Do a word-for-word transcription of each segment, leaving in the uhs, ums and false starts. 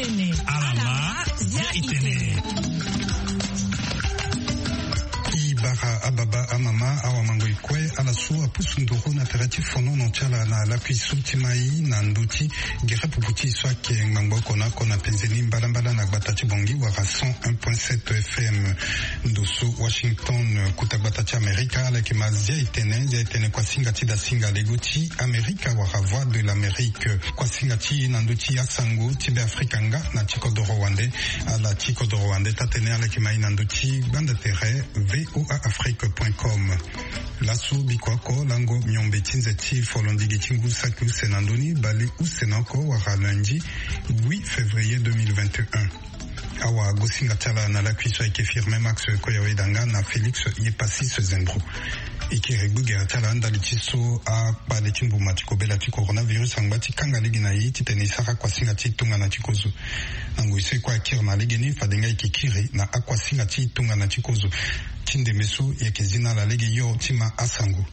Ala ma, zia i tene. I bara ababa amama awamango i kue ala so apusu nduru na tere ti fonono ti ala na lakui so ti mai na ndö ti gere pupu ti e so ayeke ngbangbo oko na oko na penze ni mbalambala na gbata ti Bangui wala cent un point sept F M. Ndo so Washington, kota gbata ti Amerika, ala yeke ma zia e tene, zia e tene kuasinga ti dasinga lego ti Amerika wala Voix de l'Amérique. Kuasinga ti e na ndö ti asango ti Beafrika nga na ti kodoro wande. Ala ti kodoro wande taa-tënë ala yeke ma e na ndö ti gbanda tere V O A Afrique point com. Laso bikua oko lango miombe ti nze ti folondigi ti ngu saki use na ndö ni bale use na oko wala lundi huit février deux mille vingt et un. Awagosinga ti ala na lakui so ayeke Firmin Max Koyawedanga na Félix Yepassis Zembro. E kiri gbegere ti ala ndali ti so akpale ti mbuma ti kobela ti coronavirus angba ti kanga lege na e titene e sara kuasinga ti tongana ti kozo. Na ngoi so e kue akiri na legeni fade nga e yeke kiri na akuasinga ti tongana ti kozo. Ti ndembe so e yeke zi na ala lege yo ti ma asango.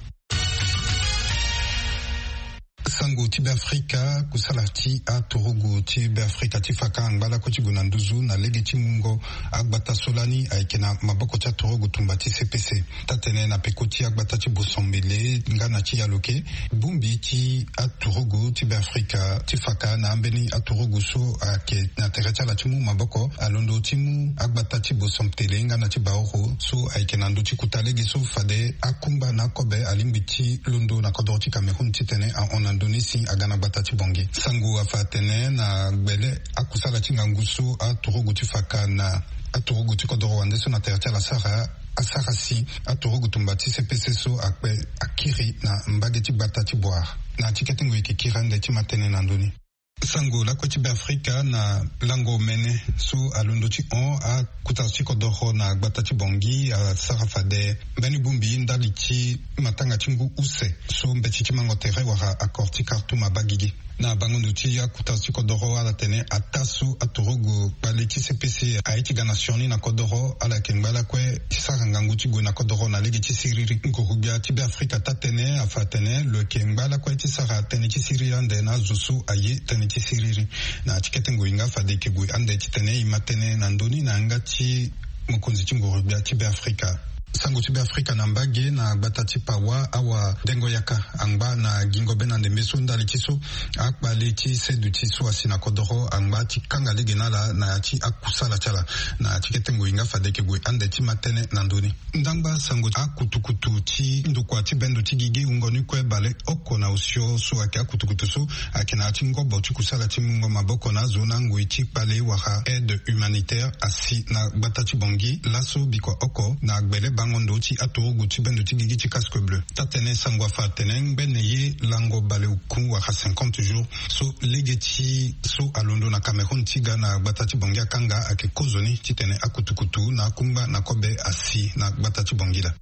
Sango ti Beafrika, kusala ti aturugu ti Beafrika ti faka angba lakue ti gue na nduzu na lege ti mungo agbata so lani ayeke na maboko ti aturugu tumba ti C P C. Taa-tënë na peko ti agbata ti Bosombele nga na ti Yaloke, bongbi ti aturugu ti Beafrika ti faka na ambeni aturugu so ayeke na tere ti ala ti mu maboko alondo ti mu agbata ti Bosombele nga na ti Baoro so ayeke na ndö ti kota lege so fade akungba na akobe alingbi ti londo na kodoro ti Cameroun titene ahon na ndö ni si aga na gbata ti Bangui. Sango afa atene na gbele akusala ti ngangu so aturugu ti faka na aturugu ti kodoro wande so na tere ti ala asara, asara si aturugu tumba ti C P C so akpe akiri na mbage ti gbata ti Bouar. Na ti kete ngoi e yeke kiri ande ti ma tënë na ndö ni. Sango lakue ti Beafrika na lango mene so alondo ti hon akota ti kodoro na gbata ti Bangui asara fade mbeni bongbi ndali ti matanga ti ngu use so mbeti ti mango tere wala accord ti Khartoum abaa gigi. Na bango ndo ti akota ti kodoro ala tene ataa so aturugu kpale ti C P C aye ti ga na sioni na kodoro ala yeke ngba lakue ti sara ngangu ti gue na kodoro na lege ti siriri. Nguru-gbia ti Beafrika taa-tënë afa atene lo yeke ngba lakue ti sara tënë ti siriri ande na azo so aye tënë ti siriri. Na ti kete ngoi nga fade e yeke gue ande titene e ma tënë na ndö ni na yanga ti mokonzi ti nguru-gbia ti Beafrika. Sango ti Beafrika na mbage na gbata ti Pawa, awadengo yaka angba na gingo be na ndembe so ndali ti so akpale ti seduti so asi na kodoro angba ti kanga lege na ala na ya ti akusala ti ala. Na ti kete ngoi nga fade e yeke gue ande ti ma tënë na ndö ni. Ndangba sango ti akutukutu ti ndokua ti bendo ti gigi wungo ni kue bale oko na osio so ayeke akutukutu so ayeke na ya ti ngobo ti kusala ti mungo maboko na azo na ngoi ti kpale wala aide humanitaire asi na gbata ti Bangui laso bikua oko na gbele bango ndo ti aturugu ti bendo ti gigi ti Casque Bleu. Taa-tënë sango afa atene ngbene ye lango bale oku wala cinquante jours so lege ti so alondo na Cameroun ti ga na gbata ti Bangui akanga ayeke kozoni titene akutukutu na akungba na kobe asi na gbata ti Bangui laa.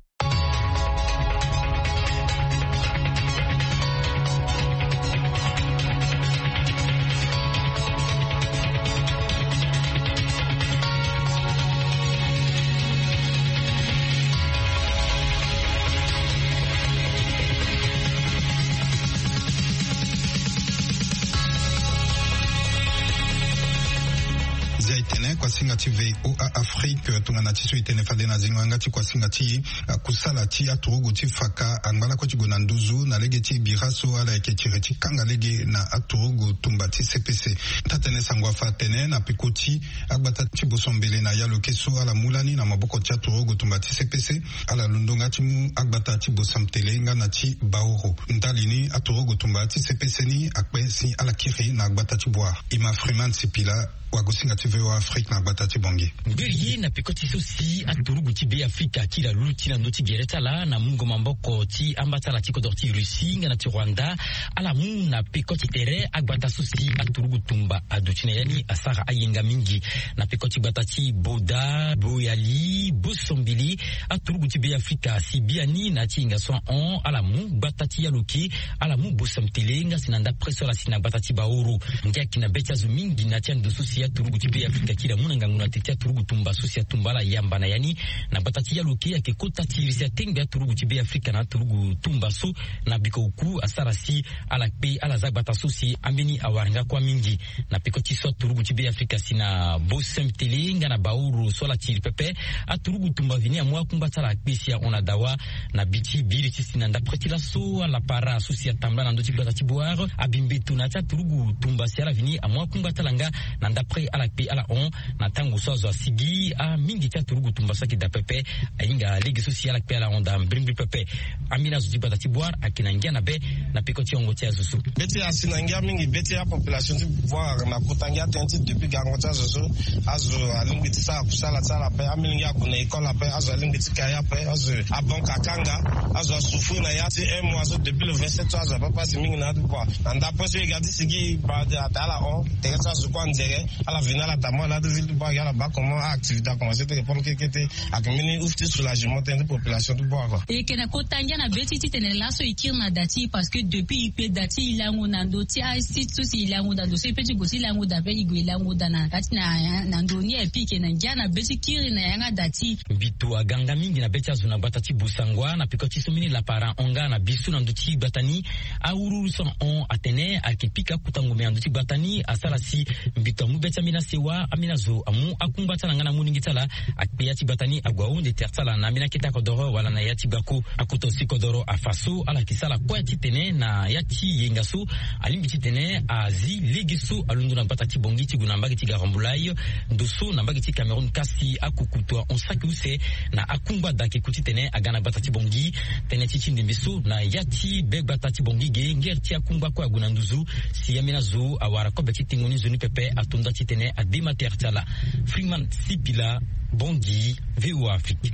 Zia e tene kuasinga ti V O A Afrique tongana ti so e tene fade na zingo yanga ti kuasinga ti e, akusala ti aturugu ti faka angba lakue ti gue na nduzu na lege ti bira so ala yeke tiri ti kanga lege na aturugu tumba ti C P C. Taa-tënë sango afa atene na peko ti agbata ti Bosombele na Yaloke so ala mu lani na maboko ti aturugu tumba ti C P C, ala londo nga ti mu agbata ti Bosombele nga na ti Baoro. Ndali ni aturugu tumba ti C P C ni akpe si ala kiri na gbata ti Bouar. E ma Freeman Sipila, wagosinga ti V O A Afrique na gbata ti Bangui. Ngberi ye na peko ti so si aturugu ti Beafrika ti la luti na ndö ti gere ti ala na mungo maboko ti amba ti ala ti kodoro ti Russie nga na ti Rwanda, ala mu na peko ti tere agbata so si aturugu tumba aduti na ya ni asara ayenga mingi. Na peko ti gbata ti Boda, Boyali, Bosombele, aturugu ti Beafrika si biani na ya ti hinga so ahon ala mu gbata ti Yaloke, ala mu Bosombele nga si na ndapre so ala si na gbata ti Baoro. Ndia yeke na be ti azo mingi na ya ti ando so si Aturugu ti Be Afrika kiri amu na ngangu na te ti aturugu tumba so si atumba ala yamba na ya ni. Na gbata ti yaloke ayeke kota ti iri si atengbe aturugu ti Be Afrika na aturugu tumba so na biko oku asara si ala kpe ala za gbata so si ambeni awara nga kuâ mingi. Na peko ti so aturugu ti Be Afrika si na Bosem Tele nga na Baoro so ala tiri pepe. Aturugu tumba vini amu akungba ti ala akpe si ahon na dawa. Na bi ti biri ti si na ndapre ti laso ala para so si atambula na ndö ti gbata ti Boar abi mbeto na ya ti aturugu tumba si ala vini amu akungba ti ala nga na ndapre ala kpe ala hon. Na tango so azo asigi amingi ti aturugu tumba so ayeke daa pepe. Ahinga lege so si ala kpe ala hon daa mbirimbiri pepe. Ambeni azo ti gbata ti Boar ayeke na ngia na be na peko ti hongo ti azo so. Be ti asi na ngia mingi be ti apopulation ti Boar na kota ngia tënë ti depuis gango ti azo so. Azo alingbi ti sara kusala ti ala ape amilenge ague na école ape azo alingbi ti kai ape azo. Abanka akanga azo asouffrir na ya ti un mois so depuis le vingt-sept so azo ape pasi mingi na adu kua. Na ndapre so e ga ti sigi bade ata ala hon tere so azo kue anzere. Ala veni ala tambula na adu ville ti Boar gi ala baa comment aactivité akomanse ti répondre kekete. Ayeke mbeni use ti soulagement tënë ti population ti Boar kua. E yeke na kota ngia na be ti titene laso e kiri na da ti e parce que depuis e kpe da ti e lango na ndo ti asite so si e lango da ndo so e pe ti gue ti lango da pe e gue e lango da na ya ti na na ndo ni e pi e yeke na ngia na be ti kiri na yanga da ti e. Mbito aga nga mingi na be ti azo na gbata ti Bosangwa na peko ti so mbeni lapara ahon nga na bi so na ndö ti gbata ni. Awuruwuru so ahon atene ayeke pika akota ngombe na ndö ti gbata ni asara si mbito amu be ti ambeni asewa ambeni azo amu akungba ti ala nga na molenge ti ala. Akpe ya ti gbata ni ague ahunde tere ti ala na ambeni akete akodoro wala na ya ti gbako. Akota osi kodoro afa so ala yeke sara kue titene na ya ti yenga so alingbi titene azi lege so alondo na gbata ti Bongi ti gue na mbage ti Garambulai. Ndo so na mbage ti Cameroun kasi akukutu ahon saki use na akungba da ake ku titene aga na gbata ti Bongi. Tënë ti ti ndembe so na ya ti be gbata ti Bongi ge ngere ti akungba kue ague na nduzu. Si ambeni azo awara kobe ti tengo ni nzoni pepe ato nda titene adema tere ti ala. Freeman Sipila, Bongi, VOA Afrique.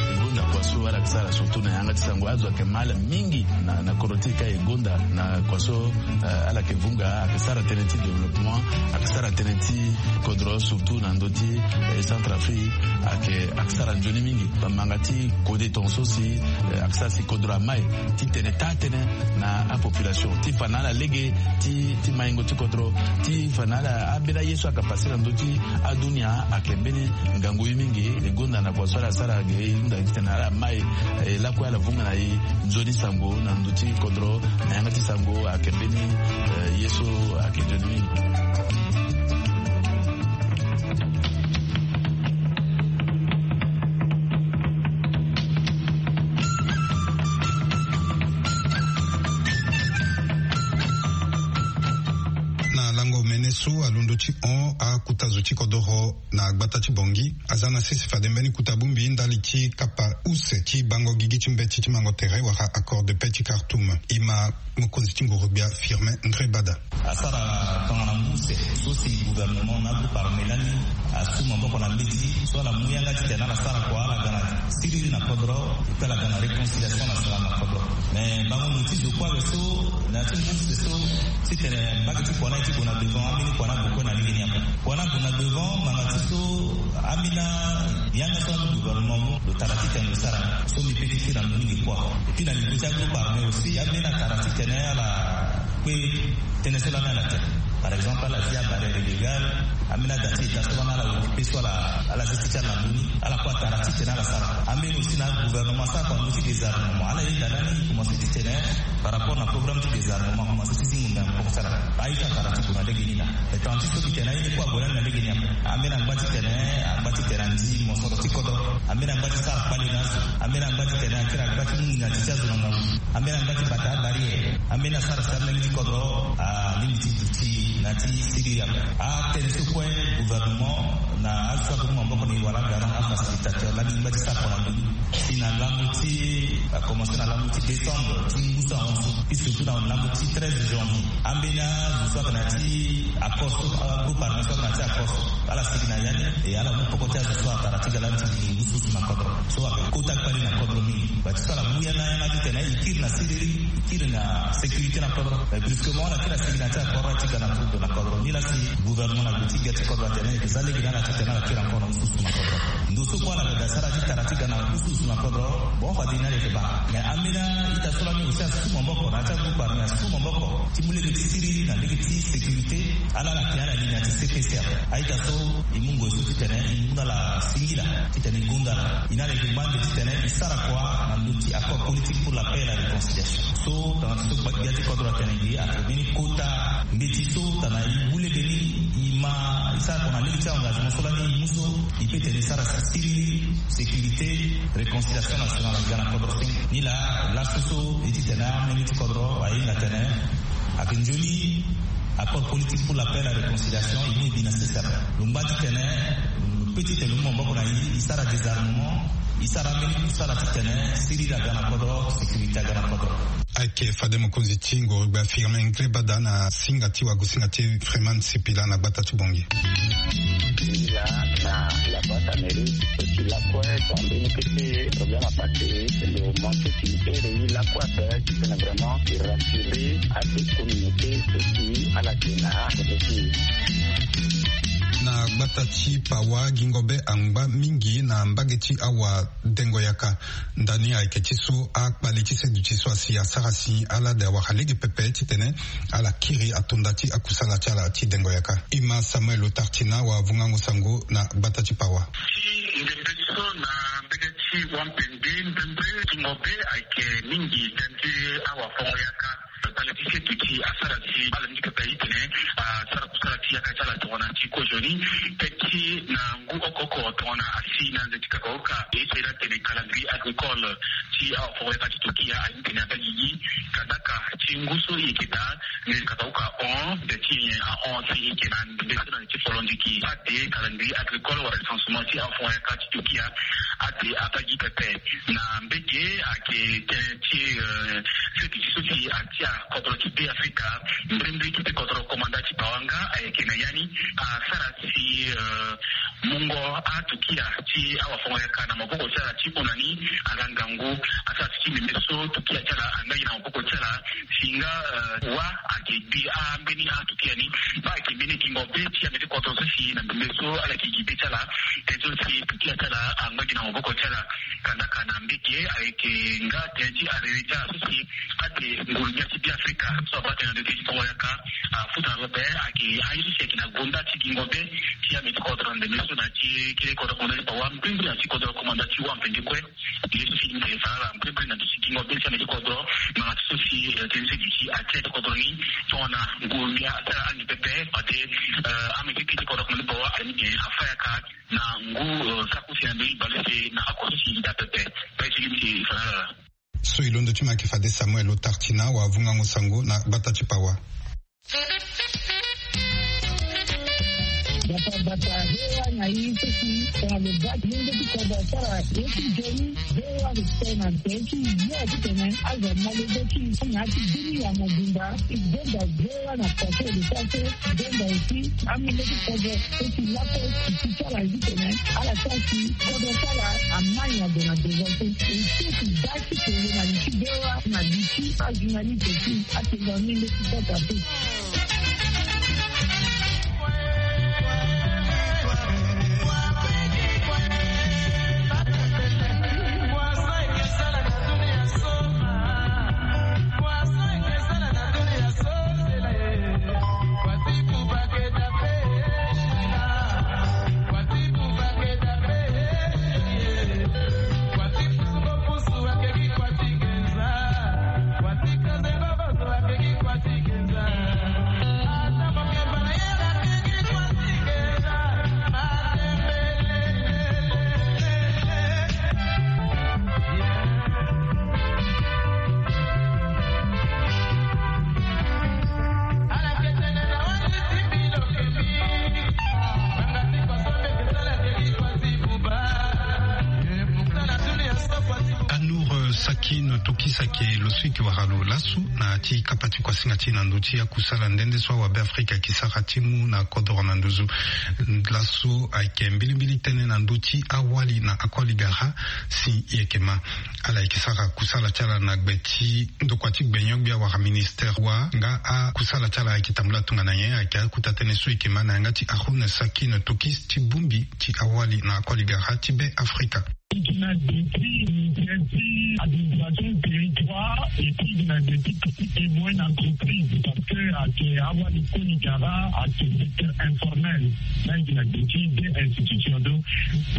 E gonda kua so ala yeke sara surtout na yanga ti sango azo ayeke mal mingi na na kodro ti e ka e gonda na kua so. Ala yeke vunga ayeke sara tënë ti développement ayeke sara tënë ti kodro surtout na ndö ti Centrafrique. Ayeke ayeke sara nzoni mingi. Bamanga ti kode tongaso si ayeke sara si kodro amai titene taa tënë na apopulation ti fa na ala lege ti maingo ti kodro ti fa na ala ambeni aye so ayeke pase na ndö ti adunia. Ayeke mbeni ngangu ye mingi. E gonda na kua so ala sara ge e hunda titene ala mai e lakue ala vunga na e nzoni sango na ndö ti kodro na yanga ti sango ayeke mbeni ye so ayeke nzoni mingi. Na lango mene so alondo ti hon akuta zo ti kodoro na gbata ti Bongi aza na sese fade mbeni kuta bongbi ndali ti kapa use ti bango gigi ti mbeti ti mango tere wala accord de paix ti Khartoum. E ma mokonzi ti nguru-gbia Firmin Ndrebada. Asara tongana ngu use so si gouvernement na agroupe armé lani asu maboko na mbeti so ala mu yanga titene ala sara kua ala ga na siriri na kodro. Pe ala ga na réconciliation nationale na kodro. Mais bango mo ti zo kue awe so na ya ti ngu use so titene mbage ti kua na e ti gue na devant ambeni kua na gue kue na lege ni ape. Kua na gue na devant ngbanga ti so ambeni yanga so anu gouvernement mu lo tara titene lo sara so mbi pe ti kiri na lo mingi kua. Epui na niveau ti agroupe armé aussi ambeni atara titene ala kue tënë so lani ala tene. Par exemple ala zi abarrière illégale. Ambeni ada ti état so lani ala occupé so ala ala zi ti ti ala na ndö ni ala kue atara titene ala sara. Ambeni aussi na agouvernement asara kua ndö ti désarmement ala yeda lani e commencé titene par rapport na programme ti désarmement akomanse ti zi ngonda na poko ti ala. Aye so atara ti gue na lege ni na. Etant ti so mbi tene aye ni kue ague lani na lege ni ape. Ambeni angba titene angba titene andi mosoro ti kodro. Ambeni angba ti sara kpale na azo. Ambeni angba titene akiri angba ti mu nginga ti ti azo na ngangu. Ambeni angba ti bata abarrière. Ambeni asara si alenge ti kodro alingbi ti duti na ti siriri ape. Atënë so kue gouvernement na azo so ayeke mu maboko na e wala garant afacilitateur lani ngba ti sara kua na ndoni. Si na lango ti akomanse na lango ti décembre ti ngu so ahon so. Puis surtout na lango ti treize janvier ambeni azo so ayeke na ya ti akos so agroupe armé so ayeke na ya ti akos so. Ala sigi na ya ni, e ala mu poko ti azo so atara ti ga lani ti gi ngu susu na kodro. So ayeke kota kpali na kodro mingi. Bati so ala mu ya na yanga titene e kiri na siriri, e kiri na sécurité na kodro. Mais brusquement ala kiri asigi na ti akodro ti ga na turudo na kodro. Ni laa si gouvernement na gbe ti gbia ti kodro atene e ke za lege na ala titene ala kiri encore na ngu susu na kodro. Ndo so kue ala ga da sara ti tara ti ga na ngu susu na kodro. Bon, fade ni ala yeke baa. Mais ambeni a-ita so lani aussi asu maboko na ya ti agroupe armé, asu maboko ti mu lege ti siriri na lege ti sécurité. Ala ala ke ala li na ya ti C P C R. A-ita so e mu ngoi so titene e mu na ala singila titene e gonda ala. E na ala yeke ngba ande titene e sara kua na ndö ti accord politique pour la paix et la réconciliation. So tongana ti so gbia ti kodro atene gi ayeke mbeni kota mbeti so tongana e mu lege ni, e ma e sara kua na lege ti engagement so lani e mu so, e peut tene e sara siriri, sécurité, réconciliation nationale aga na kodro. Ni laa laso so e ti tene ambeni ti kodro ahinga tene ayeke nzoni accord politique pour la paix et la réconciliation e mu e bi na sese ape. Lo ngba titene, mm, pe titene lo mu maboko na e, e sara désarmement, e sara ambeni kusala titene siriri aga na kodro, sécurité aga na kodro. Ayeke fade mokonzi ti ngoro gbia Firmin Ngrébada na singa ti wagosinga ti Freeman Sipila na gbata ti Bangui. Sila na la boîte à mairie so si lakue so ambeni kete problème apassé, lo manque ti ere ye lakue ape titene vraiment e rassurer ate communauté so si ala yeke na côté ti e. Na gbata ti Pawa, gingo be angba mingi na mbage ti awadengo yaka. Ndani ayeke ti so akpali ti seduti so asi asara si ala de awara lege pepe titene ala kiri atonda ti akusala ti ala ti dengo yaka. Ima Samuel Otartina wavungango sango na gbata ti Pawa. Ti ndembe so na mbage ti Wampende, ndembe gingo be ayeke mingi tënë ti awafongo yaka. Kpale ti seduti asara si ala mingi pepe itene asara kusala ti yaka ti ala tongana ti kozoni. Tënë ti na ngu oko oko tongana asi na nze ti kakauka, e so e na tene calendrier agricole ti awafongo yaka ti Turquia aye titene abaa gigi. Kandaka ti ngu so e yeke daa nze ti kakauka ahon, nze ti nyen ahon si e yeke na ndembe so na nze ti folondiki. Ate calendrier agricole wala recensement ti awafongo yaka ti Turquia ate abaa gi pepe. Na mbage ayeke tënë ti, eh, seduti so si atia kodro ti Be Afrika. Mbrimbri kete kodro komanda ti Pawa nga ayeke na ya ni asara si, eh, mungo aTurquia ti awafongo yaka na maboko ti ala ti hon na ni aga ngangu. Asara si ti mbi mbi so Turquia ti ala angba gi na maboko ti ala. Si nga, eh, wa ayeke gbi ambeni aTurquia ni. Baa ayeke mbeni gingo be ti ambe ti kodro so si na mbi mbi so ala yeke gi be ti ala. Tënë so si Turquia ti ala angba gi na maboko ti ala. Kandaka na mbage ayeke nga tënë ti arere ti ala so si ate nguru gbia ti Be Afrika so abaa tënë na ndö ti fongo yaka afuta na lo be ayeke aye so si ayeke na gonda ti gingo be ti ambe ti kodro na ndembe so na ti kete kodro komanda ti Pawa, mbrimbri na ti kodro komanda ti Wampende kue. Ye so si e fa na ala mbrimbri na ndö ti gingo be ti ambe ti kodro, ngbanga ti so si, eh, tënë ti seduti atia ti kodro ni tongana nguru gbia asara angi pepe fade, eh, ambe ti kete kodro komanda ti Pawa aye ni afa yaka. Na ngu, eh, saku si na mbeni bale si na oko so si e daa pepe. Pe ti lini si e fa na ala. So e londo ti mo ayeke fade Samuel Otartina wavungango sango na gbata ti Pawa. Bata bata, V O A na e so si tongana lo baa ti lenge ti kodro asara ye ti nzoni. V O A lo tene na tene ti ye titene azo amolenge ti e na ya ti bini ya mobimba. E gbenda V O A na pase lo sara so. Gbenda aussi amolenge ti kodro so si lakue si ti ala ye titene ala sara si kodro ti ala amai na gue na devant so. E so si baa ti kele na li ti V O A na li ti ajournaliste ti atene na ni nde ti kota so. Sakine Tokis ayeke lo so eke wara lo laso na ti kapa ti kuasinga ti e na ndö ti akusala nde nde so awabe afrika eke sara ti mu na kodoro na nduzu. Laso ayeke mbilimbili tënë na ndö ti awali na akoli gara. Si e yeke ma, ala yeke sara kusala ti ala na gbe ti ndokua ti gbenyo-gbia wala ministere wa nga akusala ti ala ayeke tambula tongana nyen? Ayeke akota tënë so e yeke ma na yanga ti Haroun Sakine Tokis ti bongbi ti awali na akoli gara ti Be Afrika. E yeke na gbe ti ministere ti administration territoire et puis e yeke na gbe ti petite et moyenne entreprise parce que ayeke awali koli gara ayeke secteur informel. Là e yeke na gbe ti deux institutions, donc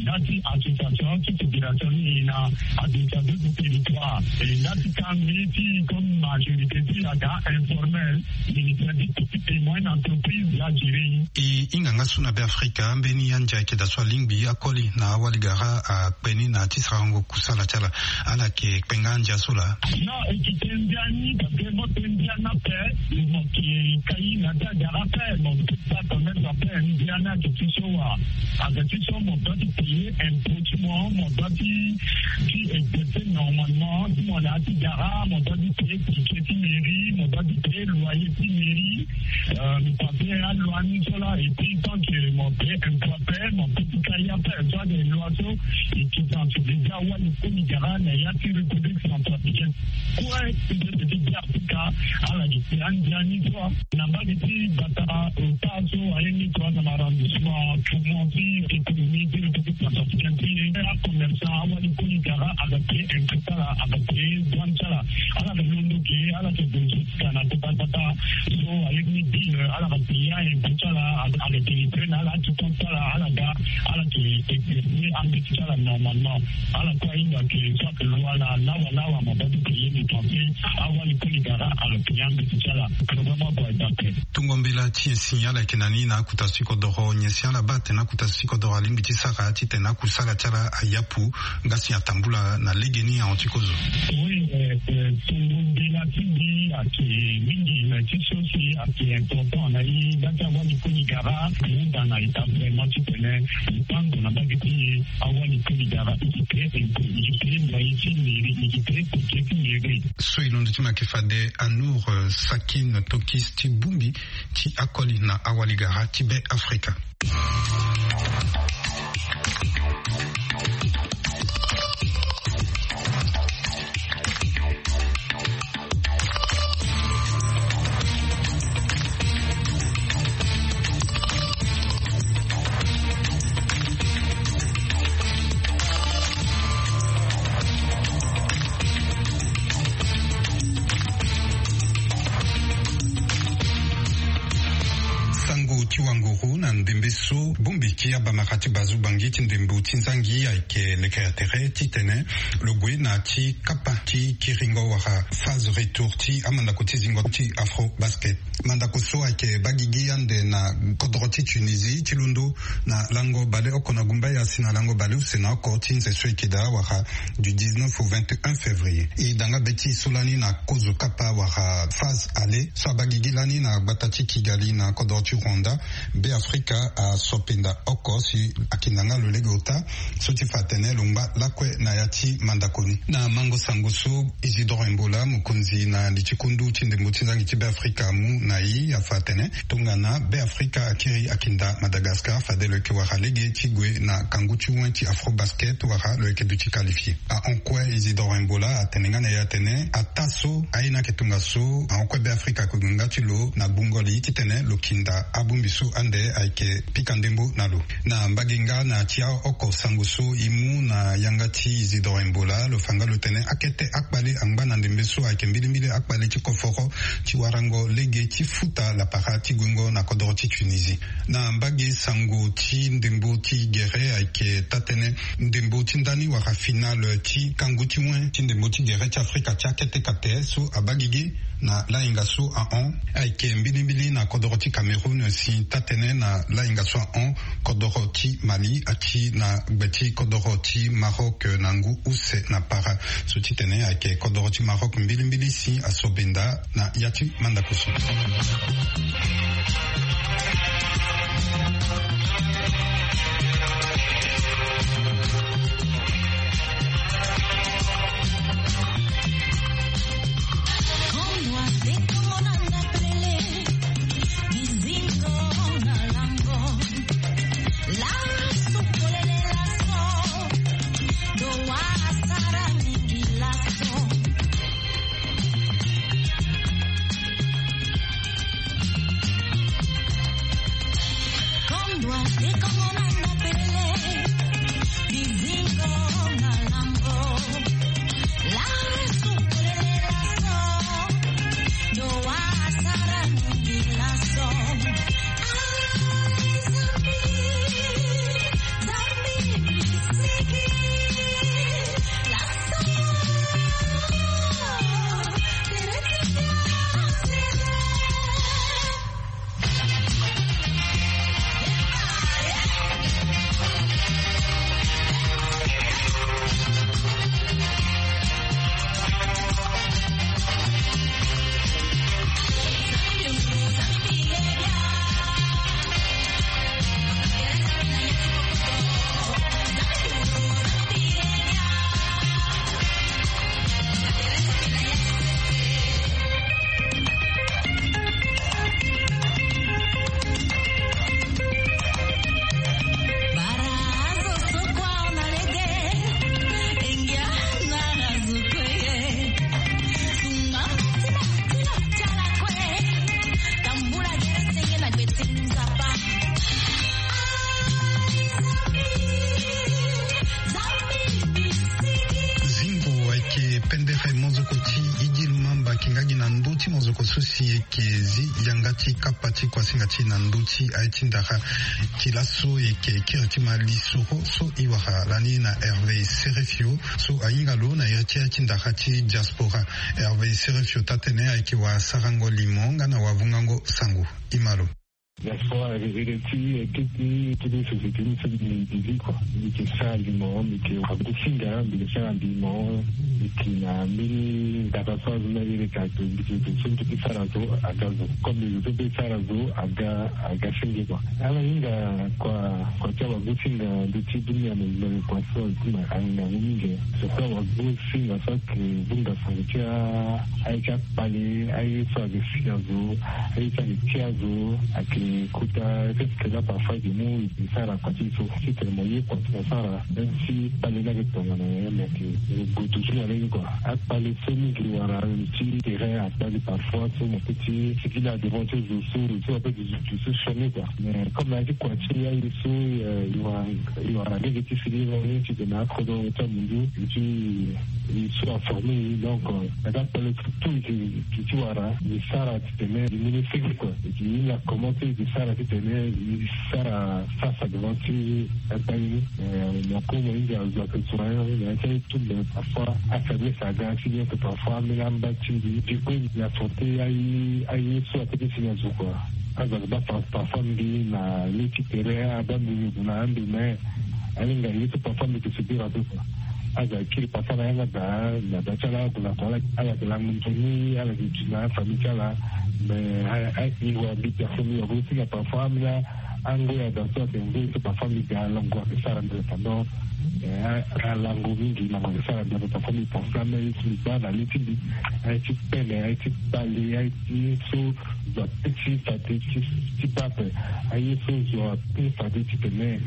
là ti association ti fédération ni e na administration du territoire et là ti kangbi ti comme majorité ti aga informel, ministère du petit et moyenne entreprise la gérer. E hinga nga so na Be Afrika mbeni andia ayeke daa so alingbi akoli na awali gara akpe ni na ti sarango kusala ti ala. Ala yeke kpe nga andia so laa? Non, e yeke kpe ndia ni parce que mo kpe ndia ni ape, mo yeke kai na ti agara ape, mo peut pas commettre ape ndia ni ayeke ti so wa. Ayeke ti so mo doit ti payer impôt ti mo, mo doit ti ti exercer normalement ti mo na ya ti gara, mo doit ti payer ticket ti mairie, mo doit ti payer loyer ti mairie. Euh, mo payer aloi ni so laa et puis tant que mo payer impôt ape, mo peut ti kai ape so ayeke loi so e yeke sensibiliser awali koli gara na ya ti République centrafricaine. Kue ti so ti Be Afrika ala yeke kpe andia ni so. Na mbage ti gbata ota so aye ni kua na arrondissement tourment ti économie ti République centrafricaine ti e, acommerçant awali koli gara aga payer impôt ti ala, aga payer douane ti ala. Ala yeke londo ge, ala yeke gue jusqu'à na kota gbata so aye ni ville, ala ga payer impôt ti ala, aga délivrer na ala ti compte ti ala, ala ga, ala yeke exercer ambeti ti ala normalement. Ala kue ahinga ke so ayeke loi laa lawa lawa mo doit ti payer dépenser, awali koli gara aga payer ambeti ti ala. Programme ague aye daa ape. Tongo mbela ti nyen si ala yeke na ni na akota so ti kodoro? Nyen si ala baa atene akota so ti kodoro alingbi ti sara titene akusala ti ala ayapu nga si atambula na legeni ahon ti kozo? Oui, euh, euh, tongo mbela ti mbi ayeke mingi, mais ti so si ayeke important na e nga ti awali koli gara ahunda na état vraiment titene e tango na mbage ti e, awali koli gara e yeke payer impôt, e yeke payer loyer ti mairie, e yeke payer ticket ti mairie. So e londo ti mo ayeke fade Anour, euh, Sakine Tokis ti bongbi ti akoli na awali gara ti Be Afrika. Sango ti wanguru na ndembe so bongbi ti abamara ti bazu bangi ti ndembo ti nzangi ayeke lekere tere titene lo gue na ti kapa ti kiringo wala phase retour ti amandako ti zingo ti Afro Basket. Mandako so ayeke baa gigi ande na kodoro ti Tunisie ti londo na lango baleoko na gumbaya si na lango baleuse na oko ti nze so eke daa wala du dix-neuf au vingt et un février. E da nga be ti e so lani na kozo kapa wala phase aller so abaa gigi lani na gbata ti Kigali na kodoro ti Rwanda. Be Afrika aso penda oko si ayeke na nga lo lege ota so ti fa atene lo ngba lakue na ya ti mandako ni. Na mango sango so Isidore Mbola, mokonzi na li ti kundu ti ndembo ti nzangi ti Be Afrika amu na e, afa atene tongana Be Afrika akiri akinda Madagascar, fade lo yeke wara lege ti gue na kangu ti wen ti Afro Basket wala lo yeke duti qualifié. Ahon kue Isidore Mbola atene nga na e atene ataa so aye ni ayeke tongaso, ahon kue Be Afrika ayeke gue nga ti lo na gbungo li titene lo kinda abongbi so ande ayeke pika ndembo na lo. Na mbage nga na ya ti aoko sango so e mu na yanga ti Isidore Mbola, lo fa nga lo tene akete akpale angba na ndembe so ayeke mbilimbili akpale ti koforo ti warango lege ti futa lapara ti guengo na kodoro ti Tunisie. Na mbage sango ti ndembo ti gere ayeke taa-tënë ndembo ti ndani wala finale ti kangu ti wen ti ndembo ti gere ti Afrika ti akete kate so abaa gigi na lahinga so ahon ayeke mbilimbili na kodoro ti Cameroun si taa-tënë na lahinga so ahon kodoro ti Mali ati na gbe ti kodoro ti Maroc na ngu use na para. So titene ayeke kodoro ti Maroc mbilimbili si aso benda na ya ti mandako so. Zingo ayeke pendere mozoko ti Idil Mamba, ayeke nga gi na ndö ti mozoko so si ayeke zi yanga ti kapa ti kuasinga ti e na ndö ti aye ti ndara ti laso. E yeke kiri ti ma lisoro so e wara lani na Hervé Serefio so ahinga lo na iri ti aye ti ndara ti diaspora. Hervé Serefio taa-tene ayeke wara sarango limo nga na wavungango sango. E ma lo. Diaspora ere ti, ere ti, ere ti société ni so mbi, mbi zi kua. Mbi yeke sara limo, mbi yeke wagosinga, mbi yeke sara limo, mbi yeke na mbeni ndaka so azo ni ayeke ato, mbi yeke zo so mbi yeke sara zo aga zo. Comme zo so mbi yeke sara zo aga, aga senge kua. Ala hinga kua, kua ti awagosinga ndö ti dunia mobimba, kua so azo ti ma ahinga yango mingi. Surtout awagosinga so ayeke vunga sango ti a, aye ti akpale, aye so ayeke si azo, aye so ayeke ti azo, ayeke kota, peut-être que là parfois ayeke mu e sara kua ti e so, titene mo ye kua ti mo sara, même si kpale ni ayeke tongana nyen, mais ayeke gue toujours na lege kua. Akpale so mingi wara ti terrain akpale parfois so mo peut ti sigi na devant ti zo so, zo so ape zo so sioni kua. Mais comme na ya ti kua ti aye so, euh, e wara, e wara lege ti sigi na ni titene akodro ti amundu ti e so aforme e. Donc, euh, na ka kpale so tout e ti, e ti wara, e sara titene e mu ni sege kua. E ti hinga comment ti e sara titene e sara face à devant ti akpale ni. Euh, na ko mo hinga azo ayeke zo na ya, na ya ti aye tout, mais parfois afaiblesse aga ti bien que parfois ambeni amba ti mbi. Du coup, e affronter aye, aye so apeut ti si na zo kua. Azo ayeke baa par-, parfois mbi na le ti tere, abaa mbi na ando, mais alinga ye so parfois mbi yeke subir ape kua. Azo ayeke kiri parfois na yanga daa, na daa ti ala, ague na kua, ala, ala yeke lango nzoni, ala yeke duti na afamille ti ala. Mais a, a, e wara mbi personne, mbi wara mbi aussi na parfois ambeni ango ya daa so ayeke nzoni so parfois mbi ga lango ayeke sara ndere pendant, eh, a, alango mingi, lango ayeke sara ndere parfois mbi pense ambeni aye so mbi baa na le ti mbi, aye ti pele, aye ti kpale, aye ti so zo apeut ti fade ti, ti baa ape, aye so zo apeut fade titene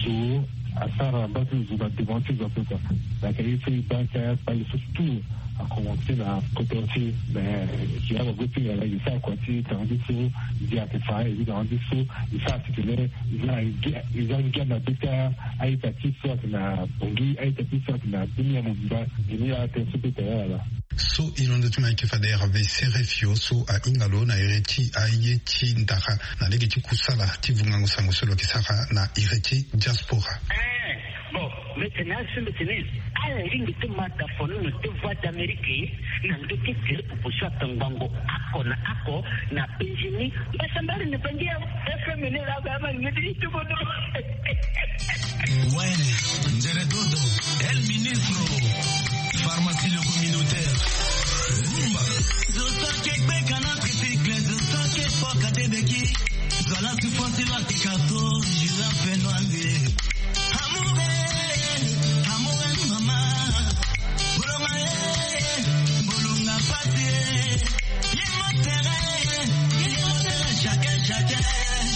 zo asara mbage ti zo na devant ti zo ape kua. Donc aye so e baa ti akpale so tout a commencé na kodro ti e, mais e yeke awago ti ngala e sara kua ti tanga ti so, ndia ayeke fa e zi tanga ti so, e sara titene e za ngia, e za ngia na be ti a-ita ti so ayeke na Bangui, a-ita ti so ayeke na dunia mobimba. Dunia atene so peut tene ala. So e londo ti mo ayeke fade Hervé Serefio so ahinga lo na iri ti aye ti ndara na lege ti kusala ti vungango sango so lo yeke sara na iri ti diaspora. Eh, bon, mbi tene azo so mbi tene ala lingbi ti ma dafono na deux voix d'Amérique na ndö ti tele popo so atongbango oko na oko na Benjini. Mbasambala na bangi ya F M ni la ba ma ni ti tubono. Ouais, Nzere Dodo, El Ministro, pharmacie le communautaire. Rumba. Zo so ayeke gbeka na tricycle, zo so ayeke foka te beki. Zo ala souffrance lo ayeke carton, girafe noir. Amour, eh, amour, eh, mama. Bolonga, eh, bolonga pasi, eh. Ye motele, ye motele, chacun, chacun,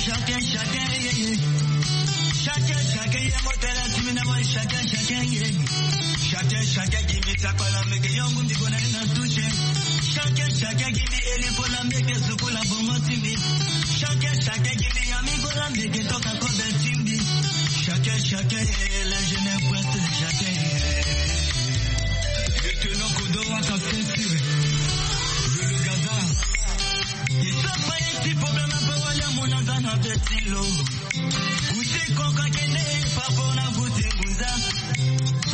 chacun, chacun, yeah, yeah. Chacun, chacun, ye motele, tu me demandes, chacun, chacun, yeah. Chacun, chacun, give me takwala, meke yongu, mi gona ina touche. Chacun, chacun, give me eli kola, meke sukula, bongo, timbi. Chacun, chacun, give me yami kola, meke toka, kobe, timbi. Chacun est l'ingénieur pointe chacun. Lieutenant Kodo à sa ceinture. Le, le Gaza. Il sort pas un petit problème un peu, wala mon azana petit lo. Uti koka kende papa na kuti nguza.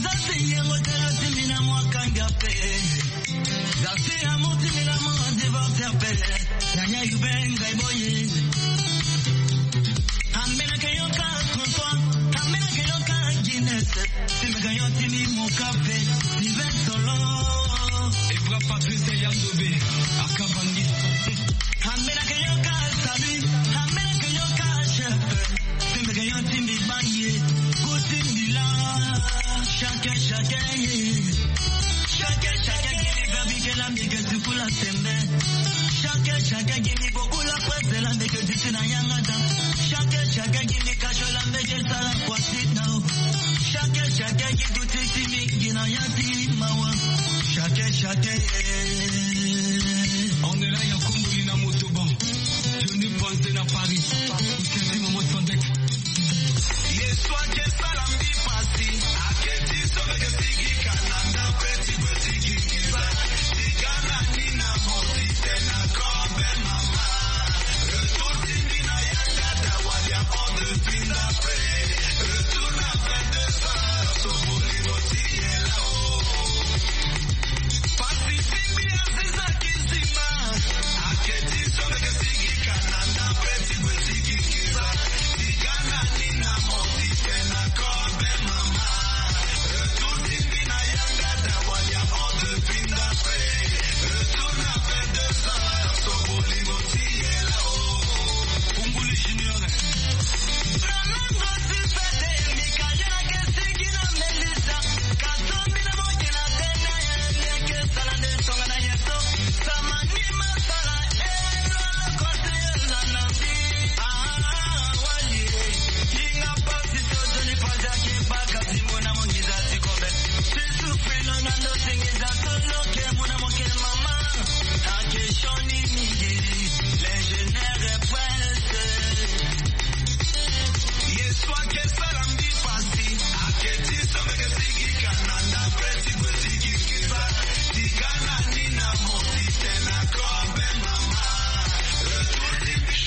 Zasi yengo tena timi na mwa kanga pe. Zasi amuti mi na mwa divorce pe. Yanya yubenga iboye. Ambena ke yoka trente-trois. Ambena ke yoka Guinness. Timi ga yo timi moka pe. Ni vingt solo. Ebra Patrice Yandobe. Akabangi. Ambena ke yoka salut. Ambena ke yoka chef. Timbi ke yo timbi bangi. Go timbi la. Chacun, chacun, yeah. Chacun, chacun, give me baby, girl, I'm big as you pull a stembe. Chacun, chacun, give me beaucoup la presse, la mbeke diti na yangada. Chacun, chacun, give me cash, la mbeke sala kwa sit now. Chacun, chacun, give to titi mingi na yati mawa. Chacun, chacun, yeah. On est là, ya kumbuli na motoban. Johnny Panze na Paris. Kusenti momo Sondex. Yesu ake sala mbi pasi. Ake ti so meke sigi kananda pe ti kwe sigi kisa. Tigana ni na moti tena kobe mama. Retour ti mbi na yanga da wadia on de pinda pe. Retour na vingt-deux heures. So boli moti yela o.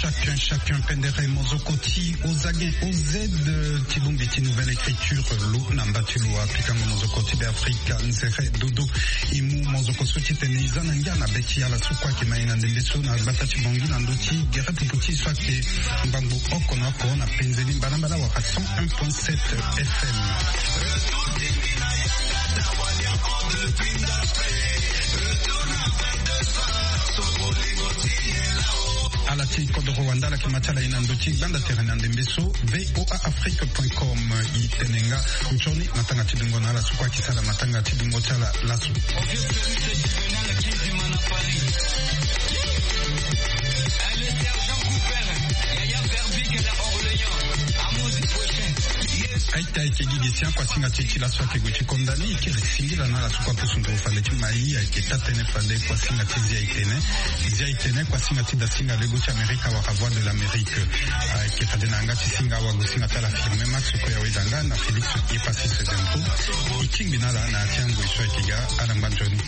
Chacun, chacun, pendere mozoko ti ozagen oz ti bongbi ti Nouvelle Écriture lo na mba ti lo apikango mozoko ti Beafrika nzere dodo. E mu mozoko so ti tene e za na ngia na be ti ala so kue ayeke ma e na ndembe so na gbata ti Bangui na ndö ti gere pupu ti e so ayeke ngbangbo oko na oko na penze ni mbalambala wala cent un point sept F M. Ala ti kodoro wanda ala yeke ma ti ala e na ndö ti gbanda tere na ndembe so V O A Afrique point com. E tene nga nzoni matanga ti dungo na ala so kue ayeke sara matanga ti dungo ti ala laso. Aita ayeke gi gi sian kuasinga ti e ti laso ayeke gue ti konda ni. E kiri singila na ala so kue apusu nduru fade ti mai. Ayeke taa-tënë fade kuasinga ti Zia e tene. Zia e tene kuasinga ti dasinga lego ti Amerika wala Voix de l'Amérique. Ayeke fade na yanga ti singa awagosinga ti ala Firmin Max kue aweda nga na Félix Epassis Zempo. E tingbi na ala na ya ti angoi so ayeke ga. Ala ngba nzoni.